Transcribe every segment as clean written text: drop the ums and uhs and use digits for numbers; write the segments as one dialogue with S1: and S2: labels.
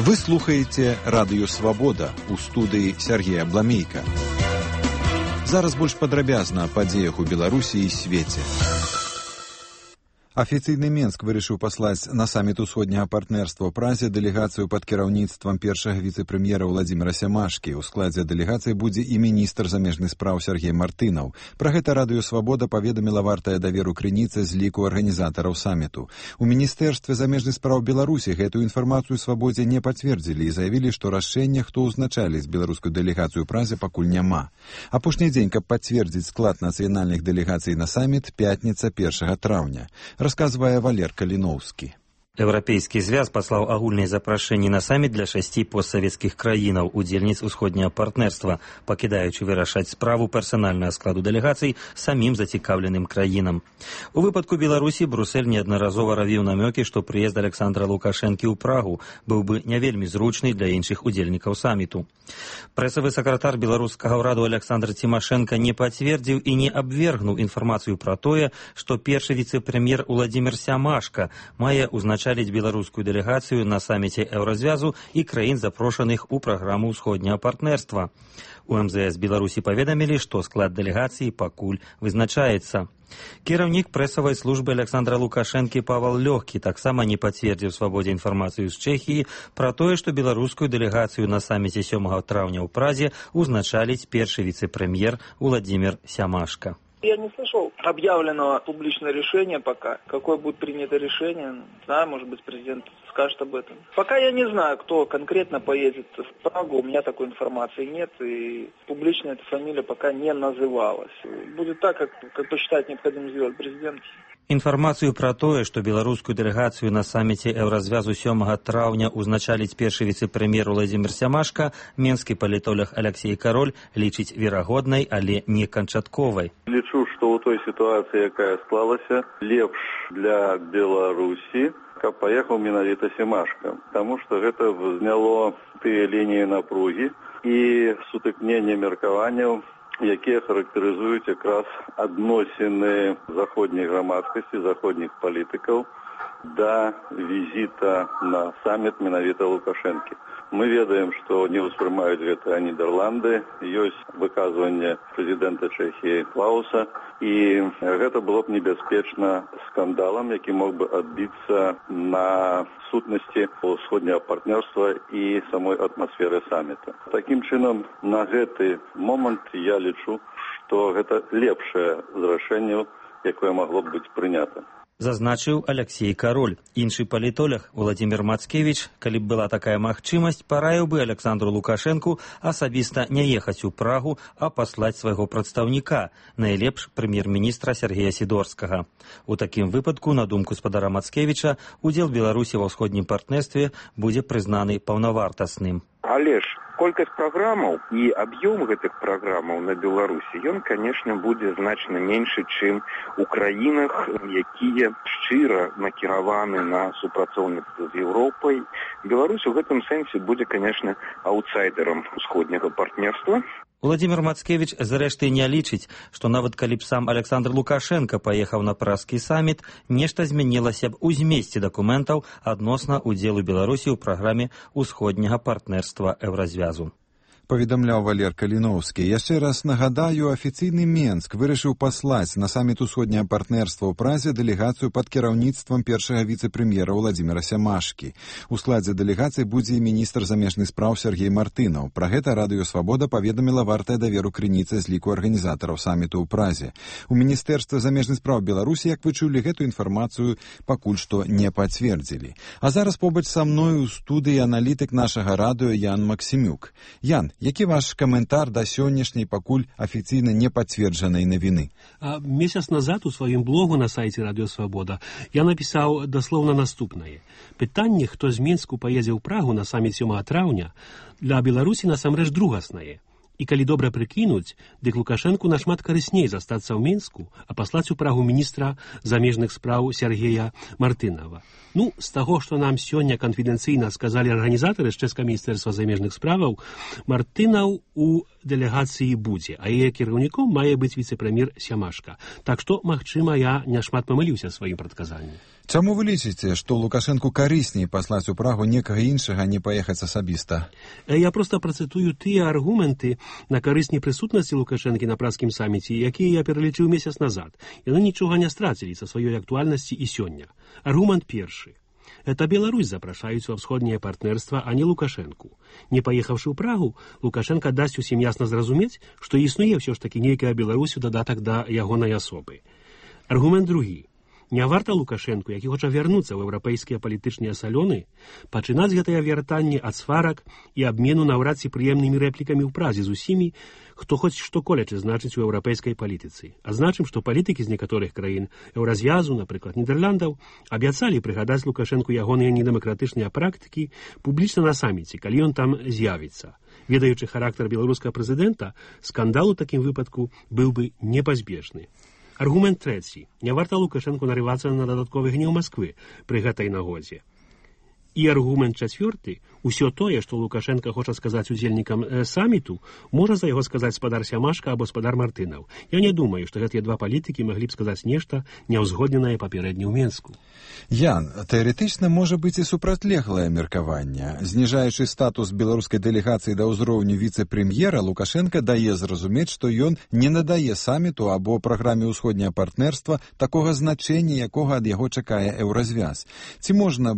S1: Вы слухаеце радыё «Свабода», у студыі Сергея Бламейка. Зараз больш падрабязна о падзеях у Беларусі і свеце. Афіцыйны Менск вырашыў паслаць на саміт усходняга партнерства ў Празе дэлегацыю пад кіраўніцтвам першага віцэ-прэм'ера Владзіміра Сямашкі. У складзе дэлегацыі будзе і міністр замежных спраў Сергей Мартынаў. Пра гэта радыё «Свабода» паведаміла вартая даверу крыніца з ліку арганізатараў саміту. У міністэрстве замежных спраў Беларусі гэтую інфармацыю «Свабодзе» не пацвердзілі і заявілі, што рашэння, хто ўзначаліць беларускую дэлегацыю ў Празе, пакуль няма. Апошні дзень, каб пацвердзіць склад нацыянальных дэлегацый на саміт, пятніца 1 траўня. Расказвае Валер Каліноўскі.
S2: Еўрапейскі звяз паслаў агульныя запрашэнні на саміт для 6 постсавецкіх краінаў, удзельніц усходняга партнерства, пакідаючы вырашаць справу персанальнага складу дэлегацый самім зацікаўленым краінам. У выпадку Беларусі Брюссель неаднаразова равіў намёкі, што прыезд Александра Лукашэнкі ў Прагу быў бы не вельмі зручны для іншых удзельнікаў саміту. Прэсавы сакратар беларускага ўраду Александр Цімашэнка не пацвердзіў і не абвергнуў інфармацыю пра тое, што першы віцэ-прэм'ер Владзімір Сямашка мае ўзначаліць беларускую дэлегацыю на саміце Еўразвязу і краін, запрошаных у праграму ўсходняга партнерства. У МЗС Беларусі паведамілі, што склад дэлегацыі пакуль вызначаецца. Кіраўнік прэсавай службы Александра Лукашэнкі Павал Лёгкі таксама не пацвердзіў «Свабодзе» інфармацыю з Чэхіі пра тое, што беларускую дэлегацыю на саміце 7 траўня ў Празе узначаліць першы віцэ-прэм'ер Владзімір Сямашка.
S3: Я не слышал объявленного публичного решения пока. Какое будет принято решение, не знаю, может быть, президент скажет об этом. Пока я не знаю, кто конкретно поедет в Прагу, у меня такой информации нет, и публично эта фамилия пока не называлась. Будет так, как посчитает необходимо сделать президент.
S2: Інфармацыю пра тое, што беларускую дэлегацыю на саміце Еўразвязу 7 траўня узначаліць першы віцэ-прэм'ер Владзімір Сямашка, менскі палітолог Алексей Кароль лічыць верагоднай, але не канчатковай.
S4: Лічу, што ў той сітуацыі, якая склалася, лепш для Беларусі, каб паехаў менавіта Сямашка, таму што гэта зняло тыя лініі напругі і сутыкнення меркаванняў, якія характарызуюць якраз адносіны заходняй грамадскасці, заходніх палітыкаў да візіта на саміт менавіта Лукашэнкі. Мы ведаем, што не ўспрымаюць гэта Нідерланды, ёсць выказванне прэзідэнта Чэхіі Клауса, і гэта было б небяспечна скандалам, які мог бы адбіцца на сутнасці ўсходняга партнерства і самой атмасферы саміта. Такім чынам, на гэты момант я лічу, што гэта лепшае з рашэнняў, якое магло б быць прынята.
S2: Зазначыў Алексей Кароль. Іншы палітолог Владзімір Мацкевіч, калі б была такая магчымасць, параіў бы Александру Лукашэнку асабіста не ехаць у Прагу, а паслаць свайго прадстаўніка, найлепш прэм'ер-міністра Сергея Сідорскага. У такім выпадку, на думку спадара Мацкевіча, удзел Беларусі ва ўсходнім партнерстве будзе прызнаны паўнавартасным.
S5: Але ж колькасць праграмаў і аб'ём гэтых праграмаў на Беларусі, ён, канешне, будзе значна меншы, чым у краінах, якія шчыра накіраваны на супрацоўніцтва з Еўропай. Беларусь у гэтым сэнсе будзе, канешне, аўтсайдерам усходняга партнерства.
S2: Владзімір Мацкевіч, зрэшты, не лічыць, што нават калі б сам Александр Лукашэнка паехаў на празкі саміт, нешта змянілася б у змесце дакументаў адносна ўдзелу Беларусі ў праграме ўсходняга партнерства Еўразвязу.
S1: Паведамляў Валер Каліноўскі. Яшчэ раз нагадаю, афіцыйны Менск вырашыў паслаць на саміт усходняга партнерства ў Празе дэлегацыю пад кіраўніцтвам першага віцэ-прэм'ера Владзіміра Сямашкі. У складзе дэлегацыі будзе і міністр замежных спраў Сергей Мартынаў. Пра гэта радыё «Свабода» паведаміла вартая даверу крыніца з ліку арганізатараў саміту ў Празе. У міністэрстве замежных спраў Беларусі, як вы чулі, гэту інфармацыю пакуль што не пацвердзілі. А зараз побач са мною ў студыі аналітык нашага радыё Ян Максімюк. Ян, які ваш каментар да сённяшняй пакуль афіцыйна не пацверджанай навіны?
S6: Месяц назад у сваім блогу на сайце радыё «Свабода» я напісаў даслоўна наступнае. Пытанне, хто з Менску паедзе ў Прагу на саміт 7 траўня, для Беларусі насамрэч другаснае. І калі добра прыкінуць, дык Лукашэнку нашмат карысней застацца ў Менску, а паслаць у Прагу міністра замежных спраў Сергея Мартынава. З таго, што нам сёння канфідэнцыйна сказалі арганізатары з чэшскага міністэрства замежных справаў, Мартынаў у дэлегацыі будзе, а яе кіраўніком мае быць віцэ-прэм'ер Сямашка. Так што, магчыма, я няшмат памыліўся сваім прадказаннем.
S1: Чаму вы лічыце, што Лукашэнку карысней паслаць у Прагу некага іншага, а не паехаць асабіста?
S6: Я проста працытую тыя аргументы на карысць непрысутнасці Лукашэнкі на пражскім саміце, якія я пералічыў месяц назад. Яны нічога не страцілі са сваёй актуальнасці і сёння. Аргумент першы. Это Беларусь запрашаюць ва ўсходняе партнерства, а не Лукашэнку. Не паехаўшы ў Прагу, Лукашенко дасць усім ясна зразумець, што існуе ўсё ж такі нейкая Беларусь у дадатак да ягонай асобы. Аргумент другі. Не варта Лукашэнку, які хоча вярнуцца ў еўрапейскія палітычныя салёны, пачынаць гэтае вяртанне ад сварак і абмену наўрад ці прыемнымі рэплікамі ў Празе з усімі, хто хоць што колечы значыць у еўрапейскай палітыцы. Адзначым, што палітыкі з некаторых краін еўразвязу, напрыклад, Нідерландаў, абяцалі прыгадаць Лукашэнку ягоныя недэмакратычныя практыкі публічна на саміце, калі ён там з'явіцца. Ведаючы характар беларускага прэзідэнта, скандал у такім выпадку быў бы непазбежны. Аргумент трэці. Не варта Лукашэнку нарывацца на дадатковы гнеў Масквы пры гэтай нагодзе. І аргумент чацвёрты. Усё тое, што Лукашенко хоча сказаць удзельнікам саміту, можа за яго сказаць спадар Сямашка або спадар Мартынаў. Я не думаю, што гэтыя два палітыкі маглі б сказаць нешта няўзгодненае папярэдне ў Менску.
S1: Ян, тэарэтычна можа быць і супрацьлеглае меркаванне. Зніжаючы статус беларускай дэлегацыі да ўзроўню віцэ-прэм'ера, Лукашенко дае зразумець, што ён не надае саміту або праграме ўсходняе партнерства такога значэння, якога ад яго чакае еўразвяз. Ці можна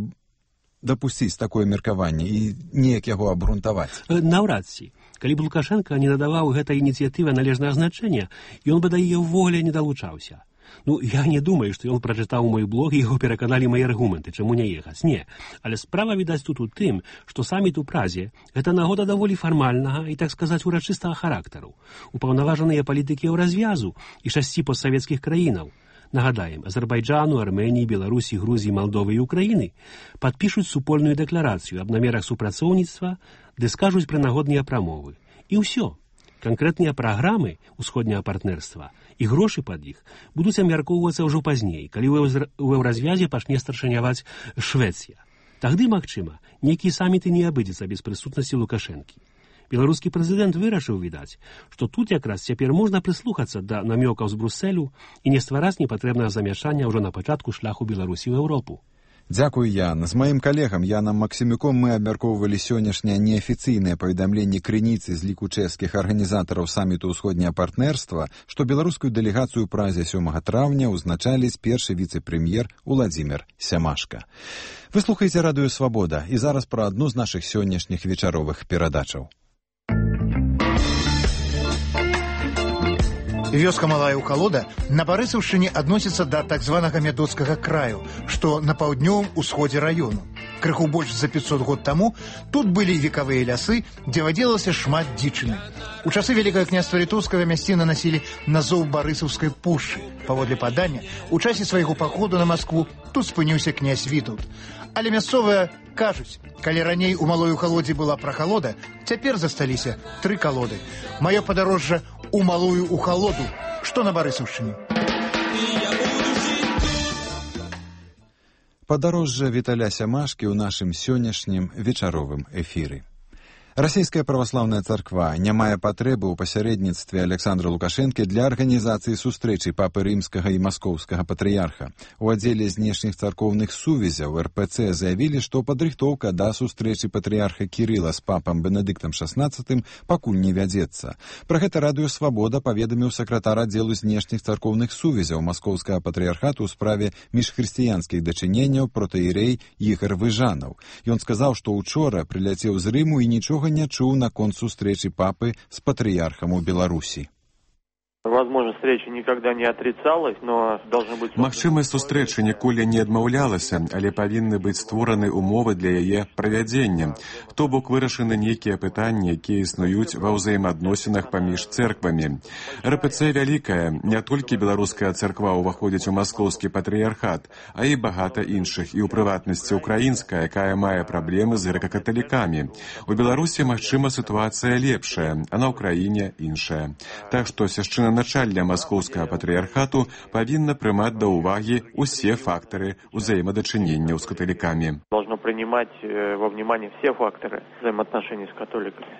S1: дапусціць такое меркаванне і неяк яго абгрунтаваць?
S6: Наўрад ці. Калі б Лукашенко не надаваў гэтай ініцыятыве належнае значэння, ён бы да яе ўвогуле не далучаўся. Я не думаю, што ён прачытаў мой блог і яго пераканалі мае аргументы, чаму не ехаць. Не. Але справа, відаць, тут у тым, што саміт у Празе – гэта нагода даволі фармальнага і, так сказаць, урачыстага характару. Упаўнаважаныя палітыкі еўразвязу і 6 постсавецкіх краінаў, нагадаем, Азербайджану, Армении, Беларусі, Грузіі, Малдовы і Украіны падпішуць супольную дэкларацыю аб намерах супрацоўніцтва, ды скажуць прынагодныя прамовы. І ўсё. Канкрэтныя праграмы ўсходняга партнерства і грошы пад іх будуць абмяркоўвацца ўжо пазней, калі ў еўразвязе пачне старшыняваць Швецыя. Тагды, магчыма, нейкія саміты не абыдзецца без прысутнасці Лукашэнкі. Беларускі прэзідэнт вырашыў, відаць, што тут якраз цяпер можна прыслухацца да намёкаў з Брусэлю і не ствараць непатрэбнага замяшання ўжо на пачатку шляху Беларусі ў Еўропу.
S1: Дзякуй, Ян. З маім калегам Янам Максімюком мы абмяркоўвалі сённяшняе неафіцыйнае паведамленне крыніцы з ліку чэшскіх арганізатараў саміту ўсходняе партнерства, што беларускую дэлегацыю ў Празе 7 траўня ўзначаліць першы віцэ-прэм'ер Уладзімір Сямашка. Вы слухаеце радыё «Свабода» і зараз пра адну з нашых сённяшніх вечаровых перадачаў.
S7: Вёска Малая Ухалода на Барысаўшчыне адносіцца да так званага Мядоцкага краю, што на паўднёвым усходзе раёну. Крыху больш за 500 год таму тут былі векавыя лясы, дзе вадзілася шмат дзічыны. У часы Вялікага княства Літоўскага мясціны насілі назоў Барысаўскай пушчы. Паводле падання, у часе свайго паходу на Маскву тут спыніўся князь Вітаўт. Але мясцовыя кажуць, калі раней у Малой Ухалодзе была прахалода, цяпер засталіся 3 калоды. Маё падарожжа у Малую Ухалоду, што на Барысаўшчыне.
S1: Падарожжа Віталя Сямашкі ў нашым сённяшнім вечаровым эфіры. Расійская праваслаўная царква не мае патрэбы ў пасярэдніцтве Александра Лукашэнкі для арганізацыі сустрэчы папы рымскага і маскоўскага патрыярха. У аддзеле знешніх царкоўных сувязяў РПЦ заявілі, што падрыхтоўка да сустрэчы патрыярха Кірыла з папам Бенедыктам XVI пакуль не вядзецца. Пра гэта радыё «Свабода» паведаміў сакратар аддзелу знешніх царкоўных сувязяў маскоўскага патрыярхату ў справе міжхрысціянскіх дачыненняў протаірей Ігар Выжанаў. Ён сказаў, што ўчора прыляцеў з Рыму і нічога не чуў наконт сустрэчы папы з патрыярхам у Беларусі.
S8: Возможно, встреча никогда не отрицалась, но должны быть...
S9: Магчымасць сустрэчы ніколі не адмаўлялася, але павінны быць створаны умовы для яе правядзення. То бок вырашаны нейкія пытанні, якія існуюць ва ўзаемаадносінах паміж цэрквамі. РПЦ вялікая, не толькі беларуская царква ўваходзіць у маскоўскі патрыярхат, а і багата іншых, і ў прыватнасці украінская, якая мае праблемы з грэка-каталікамі. У Беларусі, магчыма, сітуацыя лепшая, а на Ўкраіне іншая. Так што свяшчэнна начальня маскоўскага патрыярхату павінна прымаць да ўвагі усе фактары ўзаемадачыненняў з каталікамі.
S8: Должно принимать во внимание все факторы взаимоотношений с католиками.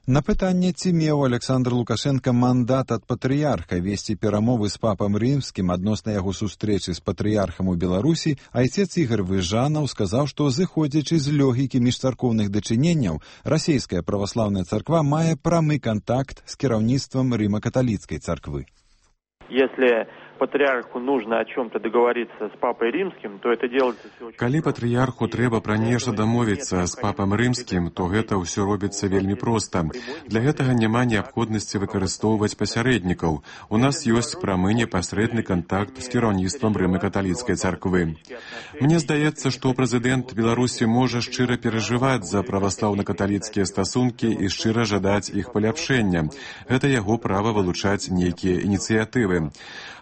S1: На пытанне, ці меў Александр Лукашенко мандат ад патрыярха весці перамовы з папам рымскім адносна яго сустрэчы з патрыярхам у Беларусі, айцец Ігор Выжанаў сказаў, што зыходзячы з логікі міжцаркоўных дачыненняў, расійская праваслаўная царква мае прамы кантакт з кіраўніцтвам рыма-каталіцкай царквы.
S8: Если патриарху нужно о чем-то договориться с папой римским, то это делается все очень...
S9: Калі патрыярху трэба пра нешта дамовіцца з папам рымскім, то гэта ўсё робіцца вельмі проста. Для гэтага няма неабходнасці выкарыстоўваць пасярэднікаў. У нас ёсць прамы непасрэдны кантакт з кіраўніцтвам рыма-каталіцкай царквы. Мне здаецца, што прэзідэнт Беларусі можа шчыра перажываць за праваслаўна-каталіцкія стасункі і шчыра жадаць іх паляпшэння. Гэта яго права вылучаць нейкія ініцыятывы.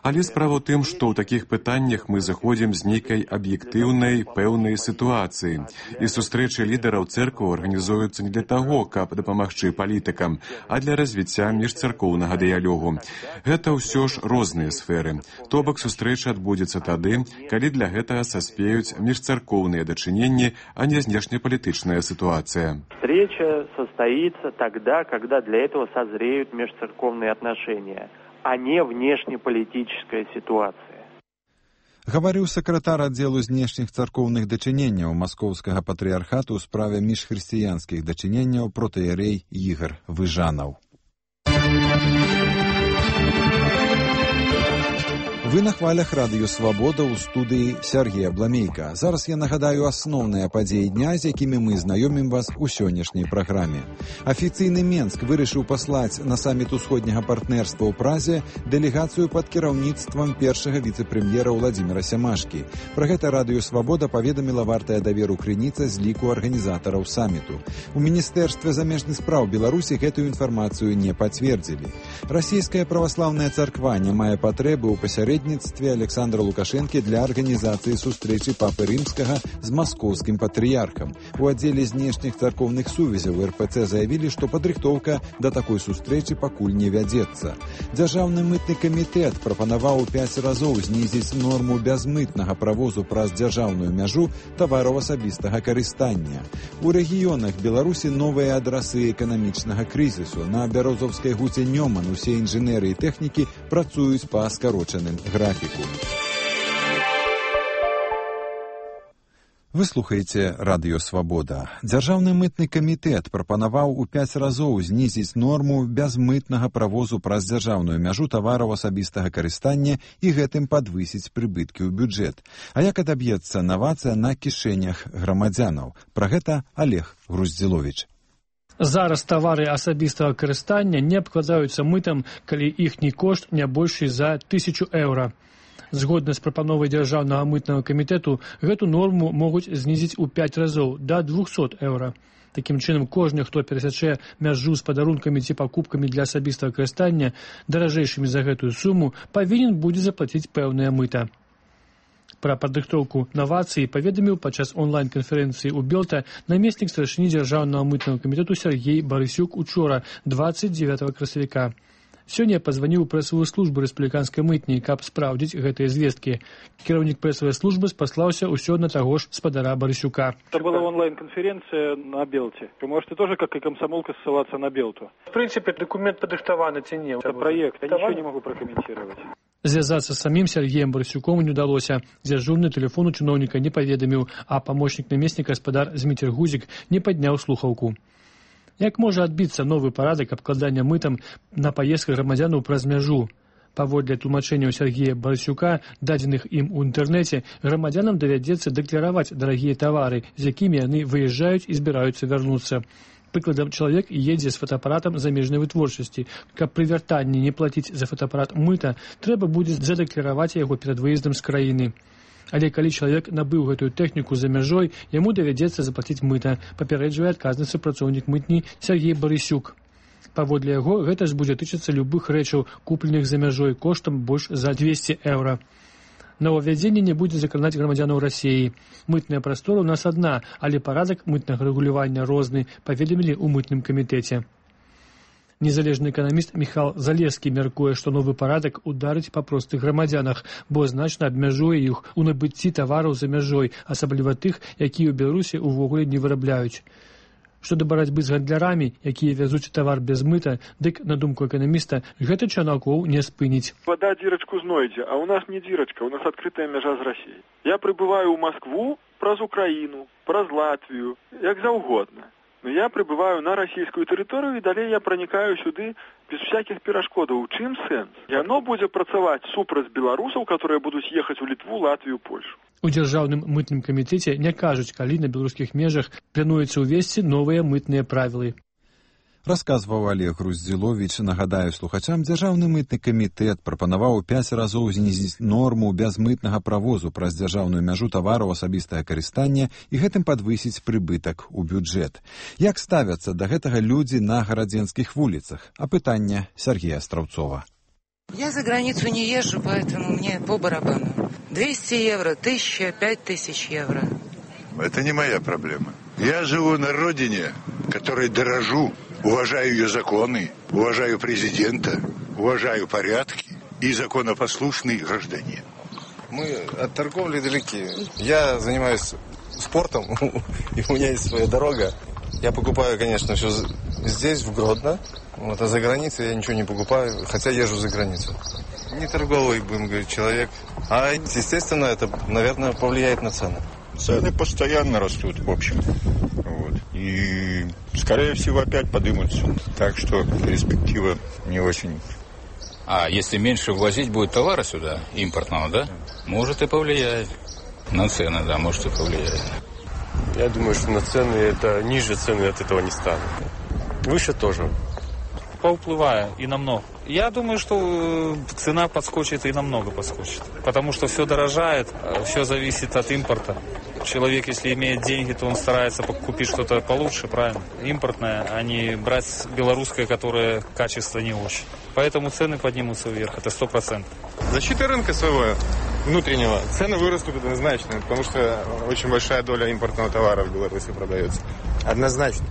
S9: Але справа ў тым, што ў такіх пытаннях мы заходзім з нейкай аб'ектыўнай, пэўнай сітуацыі. І сустрэчы лідараў цэркваў арганізуюцца не для таго, каб дапамагчы палітыкам, а для развіцця міжцаркоўнага дыялогу. Гэта ўсё ж розныя сферы. То бок сустрэча адбудзецца тады, калі для гэтага саспеюць міжцаркоўныя дачыненні, а не знешнепалітычная сітуацыя.
S8: Встреча состоится тогда, когда для этого созреют межцерковные отношения, а не внешнеполитическая ситуация.
S1: Гаварыў сакратар аддзелу знешніх царкоўных дачыненняў Маскоўскага патрыярхату ў справе міжхрысціянскіх дачыненняў протаіерей Ігор Выжанаў. Вы на хвалях радыё «Свабода» ў студыі Сергея Бламейка. Зараз я нагадаю асноўныя падзеі дня, з якімі мы знаёмім вас у сённяшняй праграме. Афіцыйны Менск вырашыў паслаць на саміт усходняга партнерства ў Празе дэлегацыю пад кіраўніцтвам першага віцэ-прэм'ера Владзіміра Сямашкі. Пра гэта радыё «Свабода» паведаміла вартая даверу крыніца з ліку арганізатараў саміту. У Міністэрстве замежных спраў Беларусі гэтую інфармацыю не пацвердзілі. Расійская праваслаўная царква не мае патрэбы ў пасярэдніцтве Александра Лукашенкі для арганізацыі сустрэчы папы рымскага з маскоўскім патрыярхам. У аддзеле знешніх царкоўных сувязяў РПЦ заявілі, што падрыхтоўка да такой сустрэчы пакуль не вядзецца. Дзяржаўны мытны камітэт прапанаваў у 5 разоў знізіць норму бязмытнага правозу праз дзяржаўную мяжу тавараў асабістага карыстання. У рэгіёнах Беларусі новыя адрасы эканамічнага крызісу. На Бярозаўскай гуце Нёман усе інжынеры і тэхнікі працуюць па скарочаным графіку. Вы слухаеце радыё «Свабода». Дзяржаўны мытны камітэт прапанаваў у 5 разоў знізіць норму бязмытнага правозу праз дзяржаўную мяжу тавараў асабістага карыстання і гэтым падвысіць прыбыткі ў бюджэт. А як адаб'ецца навацыя на кішэнях грамадзянаў? Пра гэта Олег Груздзіловіч.
S10: Зараз тавары асабістага карыстання не абкладаюцца мытам, калі іхні кошт не большы за 1000 еўра. Згодна з прапановай дзяржаўнага мытнага камітэту, гэту норму могуць знізіць у 5 разоў да 200 еўра. Такім чынам, кожны, хто перасячэ мяжу з падарункамі ці пакупкамі для асабістага карыстання даражэйшымі за гэтую суму, павінен будзе заплаціць пэўнае мыта. Пра падрыхтоўку навацыі паведаміў падчас онлайн-канферэнцыі ў Белта намеснік старшыні дзяржаўнага мытнага камітэту Сергей Барысюк учора, 29 красавіка. Сёння пазваніў прэсавую службу рэспубліканскай мытні, каб спраўдзіць гэтыя звесткі. Кіраўнік прэсавай службы спаслаўся ўсё на таго ж спадара Барысюка.
S11: Это была онлайн-конференция на Белте. Вы можете тоже, как и комсомолка, ссылаться на Белту.
S10: В принципе, документ подыхтованы ці не?
S11: Это проект, я ничего не могу прокомментировать.
S10: Звязацца з самім Сергеем Барысюком не ўдалося. Дзяжурны тэлефон у чыноўніка не паведаміў, а памочнік намесніка гаспадар Зміцер Гузік не падняў слухаўку. Як можа адбіцца новы парадак абкладання мытам на паездках грамадзянаў праз мяжу? Паводле тлумачэнняў Сергея Барысюка, дадзеных ім у інтэрнэце, грамадзянам давядзецца дэклараваць дарагія тавары, з якімі яны выязджаюць і збіраюцца вярнуцца. Прыкладам, чалавек едзе з фотоапаратам замежнай вытворчасці. Каб пры вяртанні не плаціць за фотоапарат мыта, трэба будзе задэклараваць яго перад выездам з краіны. Але калі чалавек набыў гэтую тэхніку за мяжой, яму давядзецца заплаціць мыта, папярэджвае адказны супрацоўнік мытні Сергей Барысюк. Паводле яго, гэта ж будзе тычыцца любых рэчаў, купленых за мяжой коштам больш за 200 еўра. Новаввядзенне не будзе закранаць грамадзянаў Расіі. Мытная прастора ў нас адна, але парадак мытнага рэгулявання розны, паведамілі ў мытным камітэце. Незалежны эканаміст Міхал Залескі мяркуе, што новы парадак ударыць па простых грамадзянах, бо значна абмяжуе іх у набыцці тавараў за мяжой, асабліва тых, якія ў Беларусі ўвогуле не вырабляюць. Што да барацьбы з гандлярамі, якія вязуць тавар без мыта, дык, на думку эканаміста, гэта чарнакоў не спыніць.
S11: Вода дзірачку знойдзе, а у нас не дзірачка, у нас адкрытая мяжа з Расіяй. Я прибываю ў Москву праз Украіну, праз Латвію, як заўгодна. Но я прибываю на расійскую тэрыторыю і далей я пранікаю сюды без всякіх перашкодаў. У чым сэнс? Яно будзе працаваць супраць беларусаў, которые будуць ехаць у Літву, Латвію, Польшу.
S10: У дзяржаўным мытным камітэце не кажуць, калі на беларускіх межах плануецца ўвесці новыя мытныя правілы.
S1: Расказваў Олег Груздзіловіч. Нагадаю слухачам, Дзяржаўны мытны камітэт прапанаваў 5 разоў знізіць норму бязмытнага правозу праз дзяржаўную мяжу тавараў асабістага карыстання і гэтым падвысіць прыбытак у бюджэт. Як ставяцца да гэтага людзі на гарадзенскіх вуліцах? Апытанне Сергея Страўцова.
S12: Я за границу не езжу, поэтому мне по барабану. 200 евро, 1000, 5000 евро.
S13: Это не моя проблема. Я живу на родине, которой дорожу. Уважаю ее законы, уважаю президента, уважаю порядки и законопослушный гражданин.
S14: Мы от торговли далеки. Я занимаюсь спортом, и у меня есть своя дорога. Я покупаю, конечно, все здесь, в Гродно. Вот, а за границей я ничего не покупаю, хотя езжу за границу. Не торговый, будем говорить, человек. А, естественно, это, наверное, повлияет на цены.
S13: Цены постоянно растут, в общем. Вот. И, скорее всего, опять поднимутся. Так что перспектива не очень.
S15: А если меньше ввозить будет товара сюда, импортного, да? Может и повлияет. На цены, да, может и повлияет.
S16: Я думаю, что на цены это ниже цены от этого не станут. Выше тоже.
S17: Поуплывая и намного. Я думаю, что цена подскочит и намного подскочит. Потому что все дорожает, все зависит от импорта. Человек, если имеет деньги, то он старается купить что-то получше, правильно? Импортное, а не брать белорусское, которое качество не очень. Поэтому цены поднимутся вверх, это 100%.
S14: Защита рынка своего внутреннего. Цены вырастут однозначно, потому что очень большая доля импортного товара в Беларуси продается. Однозначно.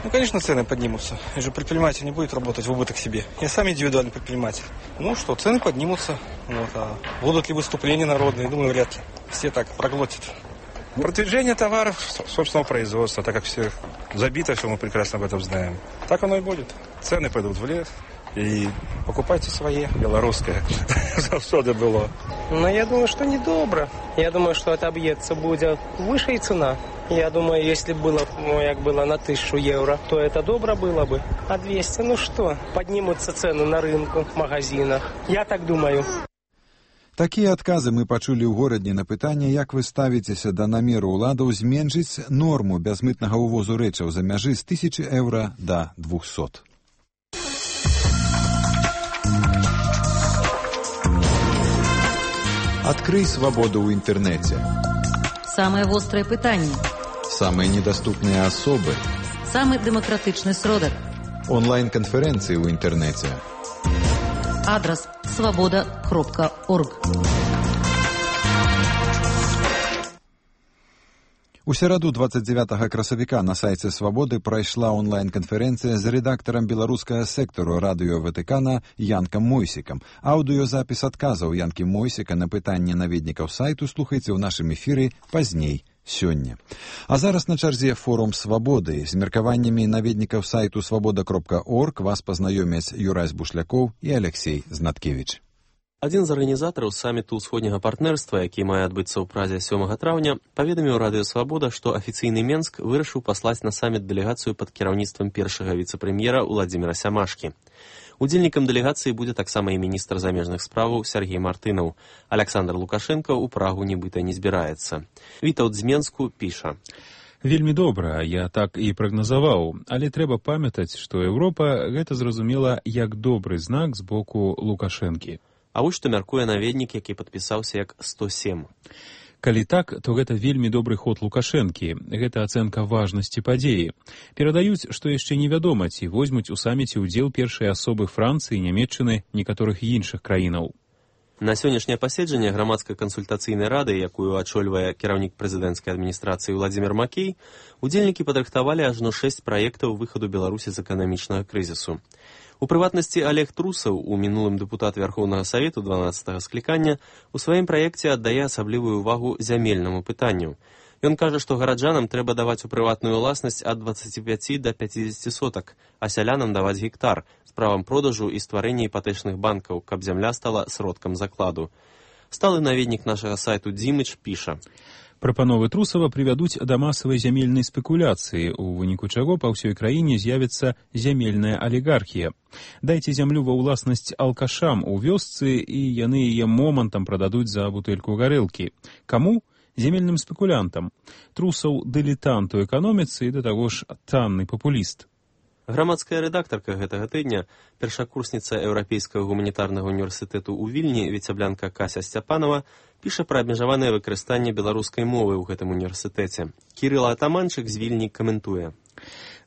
S18: Ну, конечно, цены поднимутся. И же предприниматель не будет работать в убыток себе. Я сам индивидуальный предприниматель. Ну что, цены поднимутся. Вот, а будут ли выступления народные? Думаю, вряд ли. Все так проглотят. Продвижение товаров собственного производства, так как все забито, все мы прекрасно об этом знаем. Так оно и будет. Цены пойдут в лес. И покупайте свои, белорусское. Завсёды было.
S19: Но я думаю, что недобро. Я думаю, что отобьется будет выше цена. Я думаю, если было, как было на 1000 евро, то это добро было бы. А 200, ну что, поднимутся цены на рынку, в магазинах. Я так думаю.
S1: Такія адказы мы пачулі ў горадні на пытанне, як вы ставіцеся да намеру ўладаў зменшыць норму бязмытнага ўвозу рэчаў за мяжы з 1000 евро да 200. Открый свободу ў інтэрнэце.
S20: Самые вострые пытанні.
S1: Самые недоступные особы.
S20: Самый демократичный сродок.
S1: Онлайн-конференции ў інтэрнэце.
S20: Адрес svoboda.org.
S1: У сераду 29 красавіка на сайце «Свабоды» прайшла онлайн-канферэнцыя з рэдактарам беларускага сектару радыё Ватыкана Янкам Мойсікам. Аўдыёзапіс адказаў Янкі Мойсіка на пытанне наведнікаў сайту слухайце ў нашым эфіры пазней сёння. А зараз на чарзе форум «Свабоды». З меркаваннямі наведнікаў сайту svoboda.org вас пазнаёмяць Юрась Бушлякоў і Алексей Знаткевіч.
S21: Адзін з арганізатараў саміту ўсходняга партнерства, які мае адбыцца ў Празе 7 траўня, паведаміў радыё «Свабода», што афіцыйны Менск вырашыў паслаць на саміт дэлегацыю пад кіраўніцтвам першага віцэ-прэм'ера Уладзіміра Сямашкі. Удзельнікам дэлегацыі будзе таксама і міністр замежных справаў Сергей Мартынаў. Александр Лукашенко ў Прагу нібыта не збіраецца. Вітаўт з Менску піша.
S22: Вельмі добра, я так і прагназаваў, але трэба памятаць, што Еўропа гэта зразумела як добры знак з боку Лукашэнкі.
S21: А вось што мяркуе наведнік, які падпісаўся як 107.
S22: Калі так, то гэта вельмі добры ход Лукашэнкі. Гэта ацэнка важнасці падзеі. Перадаюць, што яшчэ невядома, ці возьмуць у саміце ўдзел першыя асобы Францыі, Нямецчыны, некаторых іншых краінаў.
S21: На сённяшняе паседжанне грамадскай кансультацыйнай рады, якую ачольвае кіраўнік прэзідэнцкай адміністрацыі Владзімір Макей, удзельнікі падрыхтавалі ажно 6 праектаў выхаду Беларусі з эканамічнага крызісу. У прыватнасці Олег Трусаў, у мінулым дэпутат Вярхоўнага Савету 12-го склікання, у сваім праекце аддае асаблівую ўвагу зямельнаму пытанню. Ён кажа, што гараджанам трэба даваць у прыватную ўласнасць ад 25 да 50 сотак, а сялянам даваць гектар з правам продажу і стварэння іпатэчных банкаў, каб зямля стала сродкам закладу. Сталы наведнік нашага сайту Дзімыч піша:
S22: Прапановы Трусава прывядуць да масавай зямельнай спекуляцыі, у выніку чаго па ўсёй краіне з'явіцца зямельная алігархія. Дайце зямлю ва ўласнасць алкашам у вёсцы, і яны яе момантам прададуць за бутэльку гарэлкі. Каму? Зямельным спекулянтам. Трусаў дылетант у эканоміцы і да таго ж танны папуліст.
S21: Грамадская рэдактарка гэтага тыдня, першакурсніца Еўрапейскага гуманітарнага універсітэту ў Вільні, віцэблянка Кася Сцяпанова, піша пра абмежаванае выкарыстанне беларускай мовы ў гэтым універсітэце. Кірыл Атаманчык з Вільні каментуе: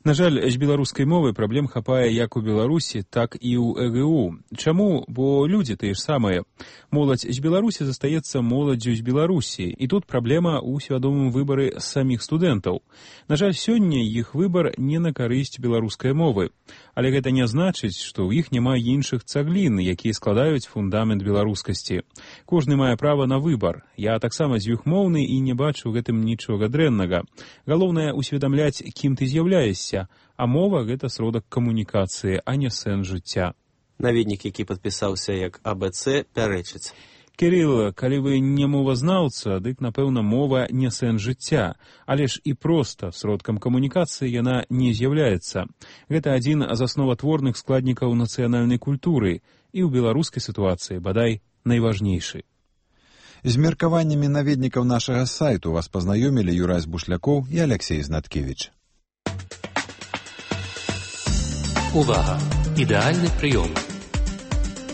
S22: На жаль, з беларускай мовай праблем хапае як у Беларусі, так і ў ЭГУ. Чаму? Бо людзі тыя ж самыя. Моладзь з Беларусі застаецца моладдзю з Беларусі, і тут праблема ў свядомым выбары саміх студэнтаў. На жаль, сёння іх выбар не на карысць беларускай мовы. Але гэта не значыць, што ў іх няма іншых цаглін, якія складаюць фундамент беларускасці. Кожны мае права на выбар. Я таксама дзвюхмоўны і не бачу ў гэтым нічога дрэннага. Галоўнае усведамляць, кім ты з'яўляешся, а мова — гэта сродак камунікацыі, а не сэнс жыцця.
S21: Наведнік, які падпісаўся як АБЦ, пярэчыць:
S22: Кірыл, калі вы не мовазнаўца, дык, напэўна, мова не сэнс жыцця, але ж і проста сродкам камунікацыі яна не з'яўляецца. Гэта адзін з асноватворных складнікаў нацыянальнай культуры і ў беларускай сітуацыі, бадай, найважнейшы.
S1: З меркаваннямі наведнікаў нашага сайту вас пазнаёмілі Юрась Бушлякоў і Алексей Знаткевич.
S3: Увага! Ідэальны прыём.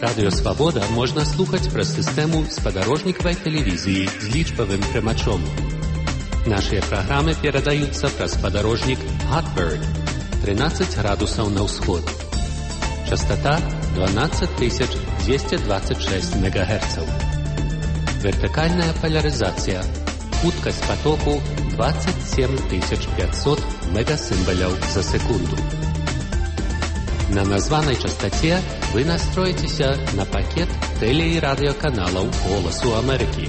S3: Радыё Свабода можна слухаць праз сістэму спадарожнікавай тэлевізіі з лічбавым прымачом. Нашыя праграмы перадаюцца праз спадарожнік Hotbird 13 градусаў на ўсход. Частота 12226 МГц. Вертыкальная полярызацыя. Хуткасць потоку 27500 мегасімбаляў за секунду. На названай частоце вы настроіцеся на пакет тэле- і радыёканалаў «Голасу Амерыкі».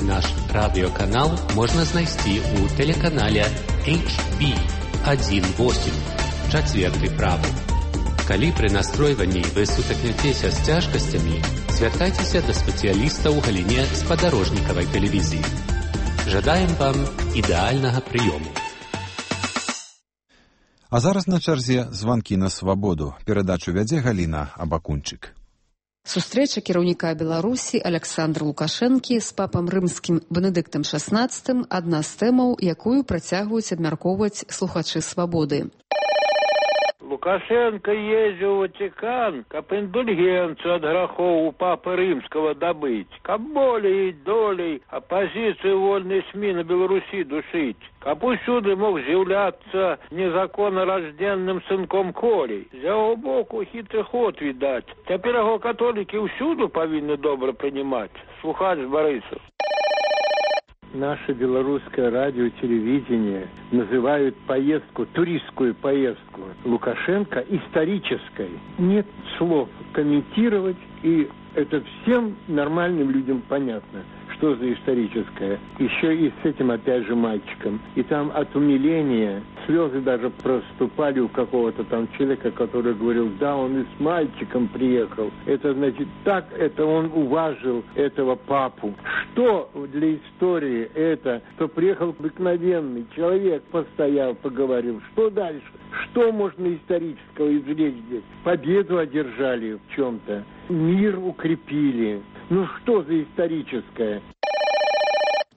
S3: Наш радыёканал можна знайсці ў тэлеканале HB18, чацверты правы. Калі пры настройванні вы сутыкнецеся з цяжкасцямі, звяртайцеся да спецыяліста ў галіне спадарожнікавай тэлевізіі. Жадаем вам ідэальнага прыёму.
S1: А зараз на чарзе званкі на свабоду. Перадачу вядзе Галіна Абакунчык.
S4: Сустрэча кіраўніка Беларусі Александра Лукашэнкі з папам рымскім Бенедыктам XVI – адна з тэмаў, якую працягваюць абмяркоўваць слухачы свабоды.
S23: Лукашенко ездил в Ватикан, каб индульгенцию от грехов у Папы Римского добыть, каб болей и долей оппозицию вольной СМИ на Беларуси душить, каб усюды мог з'являться незаконно рожденным сынком Колей. З яго боку хитрый ход видать. Теперь его католики усюду повинны добро принимать. Слухач Борисов. Наше белорусское радио и телевидение называют поездку, туристскую поездку Лукашенко исторической. Нет слов комментировать, и это всем нормальным людям понятно, что за историческое. Еще и с этим, опять же, мальчиком. И там от умиления слезы даже проступали у какого-то там человека, который говорил: да, он и с мальчиком приехал. Это значит, так это он уважил этого папу. Что для истории это, что приехал обыкновенный человек, постоял, поговорил. Что дальше? Что можно исторического извлечь здесь? Победу одержали в чем-то. Мир укрепили. Ну что за историческое?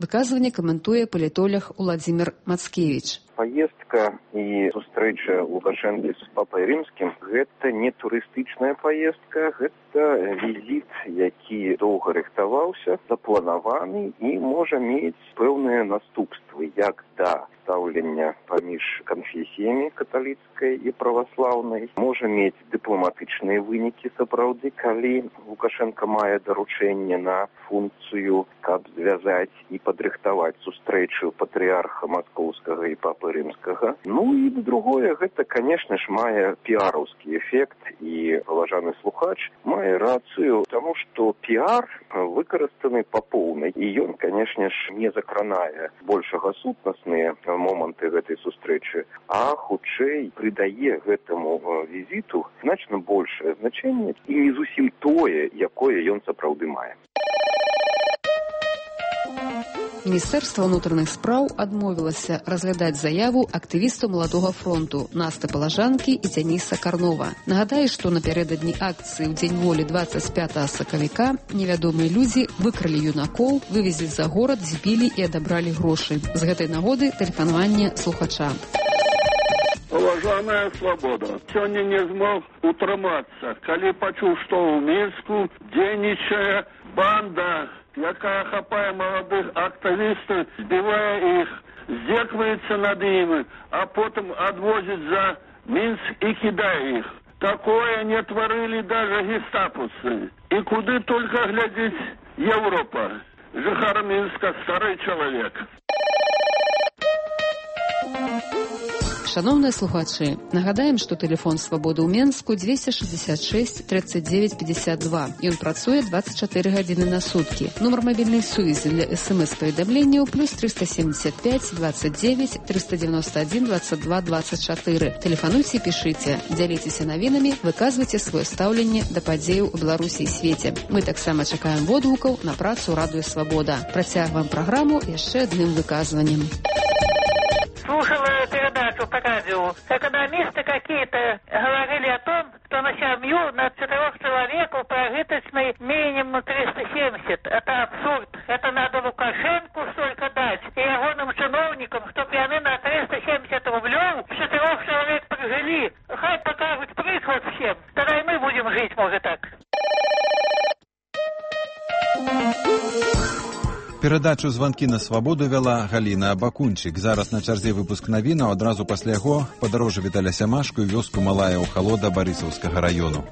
S4: Выказыванне каментуе палітолог Уладзімір Мацкевіч.
S5: Поездка и встреча Лукашенко с Папой Римским – это не туристичная поездка, это визит, який долго рихтовался, запланованный и может иметь певные наступства, як да супрацьпастаўлення паміж канфесіямі каталіцкай і праваслаўнай, можа мець дыпламатычныя вынікі сапраўды, калі Лукашенко мае даручэнне на функцыю, каб звязаць і падрыхтаваць сустрэчу патрыарха маскоўскага і папы рымскага. Ну і другое, гэта, конечно ж, мае піараўскі эфект, і паважаны слухач мае рацыю, таму што піар выкарыстаны па поўнай, і ён, конечно ж, не закранае большага сутнасныя моманты гэтай сустрэчы, а хутчэй прыдае гэтаму візіту значна большае значэнне і не зусім тое, якое ён сапраўды мае.
S4: Міністэрства ўнутраных спраў адмовілася разглядаць заяву актывістаў Маладога фронту Насты Палажанкі і Дзяніса Карнова. Нагадаю, што напярэдадні акцыі ў Дзень волі 25 сакавіка невядомыя людзі выкралі юнакоў, вывезлі за горад, збілі і адабралі грошы. З гэтай нагоды тэлефанаванне слухача.
S23: Паважаная Свабода, сёння не змог утрымацца, калі пачуў, што ў Мінску дзейнічае банда, якая хапае маладых актывістаў, збівае іх, здзекваецца над імі, а потым адвозіць за Мінск і кідае іх. Такое не тварылі даже гестапусы. І куды только глядзіць Европа. Жыхар Мінска, стары чалавек.
S4: Шановныя слухачы, нагадаем, што тэлефон Свабоды ў Менску 266 39 52. Ён працуе 24 гадзіны на суткі. Нумар мабільнай сувязі для СМС-паведамленняў плюс 375 29 391 22 24. Тэлефануйце і пішыце, дзяліцеся навінамі, выказвайце сваё стаўленне да падзеяў у Беларусі і свеце. Мы таксама чакаем водгукаў на працу Радыё Свабода. Працягваем праграму яшчэ адным выказваннем.
S2: Слушала передачу по радио. Экономисты какие-то говорили о том, что на семью на 4 человеков прожиточный минимум 370. Это абсурд. Это надо Лукашенку столько дать и ягоным чиновникам, чтобы они на 370 рублей 4 человек прожили. Хай покажут приход всем. Тогда и мы будем жить, может, так.
S1: Перадачу «Званкі на свабоду» вяла Галіна Абакунчык. Зараз на чарзе выпуск навінаў, адразу пасля яго падарожжа Віталя Сямашку і вёску Малая ў Халода Барысаўскага раёну.